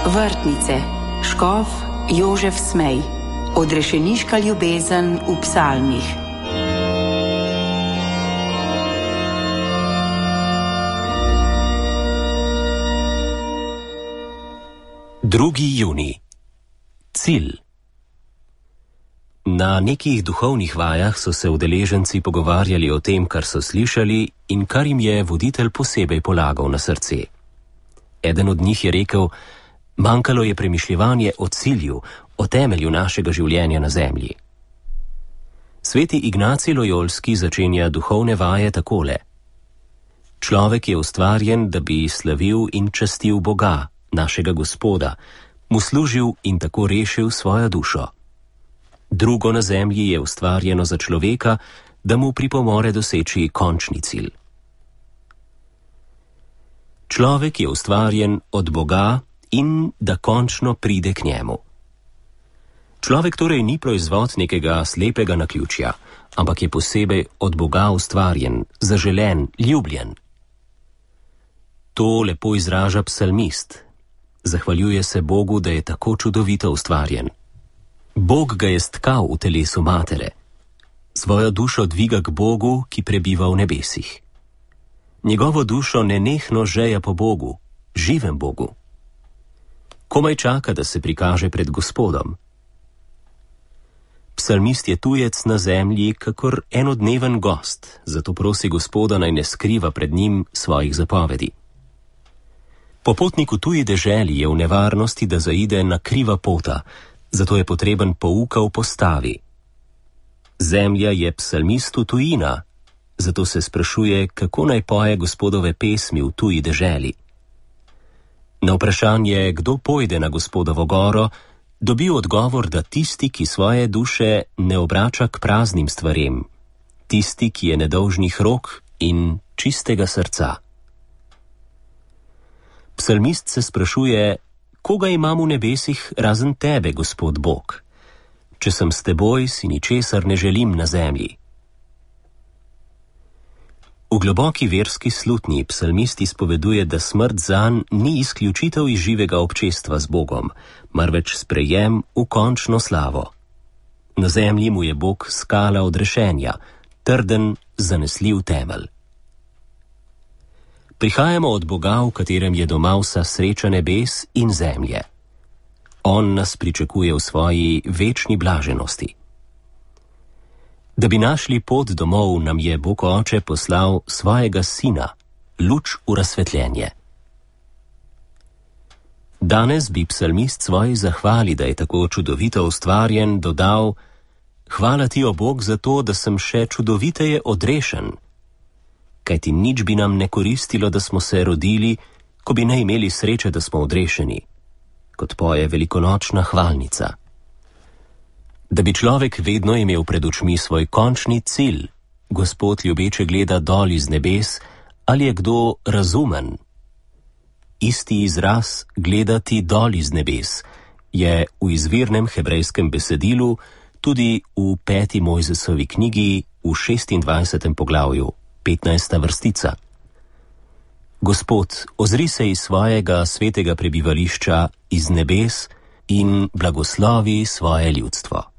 Vrtnice, škof Jožef Smej, odrešeniška ljubezen v psalmih. Drugi junij. Cilj. Na nekih duhovnih vajah so se udeleženci pogovarjali o tem, kar so slišali in kar jim je voditelj posebej polagal na srce. Eden od njih je rekel: manjkalo je premišljevanje o cilju, o temelju našega življenja na zemlji. Sveti Ignacij Lojolski začenja duhovne vaje takole: človek je ustvarjen, da bi slavil in častil Boga, našega Gospoda, mu služil in tako rešil svojo dušo. Drugo na zemlji je ustvarjeno za človeka, da mu pripomore doseči končni cilj. Človek je ustvarjen od Boga in da končno pride k njemu. Človek torej ni proizvod nekega slepega naključja, ampak je posebej od Boga ustvarjen, zaželen, ljubljen. To lepo izraža psalmist. Zahvaljuje se Bogu, da je tako čudovito ustvarjen. Bog ga je stkal v telesu matere. Svojo dušo dviga k Bogu, ki prebiva v nebesih. Njegovo dušo nenehno žeja po Bogu, živem Bogu. Komaj čaka, da se prikaže pred Gospodom. Psalmist je tujec na zemlji, kakor enodneven gost, zato prosi Gospoda, naj ne skriva pred njim svojih zapovedi. Popotnik v tuji deželi je v nevarnosti, da zaide na kriva pota, zato je potreben pouka v postavi. Zemlja je psalmistu tujina, zato se sprašuje, kako naj poje Gospodove pesmi v tuji deželi. Na vprašanje, kdo pojde na Gospodovo goro, dobi odgovor, da tisti, ki svoje duše ne obrača k praznim stvarem, tisti, ki je nedolžnih rok in čistega srca. Psalmist se sprašuje, koga imam v nebesih razen tebe, Gospod Bog? Če sem s teboj, si ničesar ne želim na zemlji. V globoki verski slutnji psalmist izpoveduje, da smrt zanj ni izključitev iz živega občestva z Bogom, marveč sprejem v končno slavo. Na zemlji mu je Bog skala odrešenja, trden, zanesljiv temelj. Prihajamo od Boga, v katerem je doma vsa sreča nebes in zemlje. On nas pričakuje v svoji večni blaženosti. Da bi našli pot domov, nam je Bog Oče poslal svojega Sina, luč v razsvetljenje. Danes bi psalmist svoji zahvali, da je tako čudovito ustvarjen, dodal: hvala ti, o Bog, za to, da sem še čudoviteje odrešen. Kajti nič bi nam ne koristilo, da smo se rodili, ko bi ne imeli sreče, da smo odrešeni, kot poje velikonočna hvalnica. Da bi človek vedno imel pred očmi svoj končni cilj, Gospod ljubeče gleda dol iz nebes, ali je kdo razumen. Isti izraz gledati dol iz nebes je v izvirnem hebrejskem besedilu tudi v 5. Mojzesovi knjigi v 26. poglavju, 15. vrstica. Gospod, ozri se iz svojega svetega prebivališča iz nebes in blagoslovi svoje ljudstvo.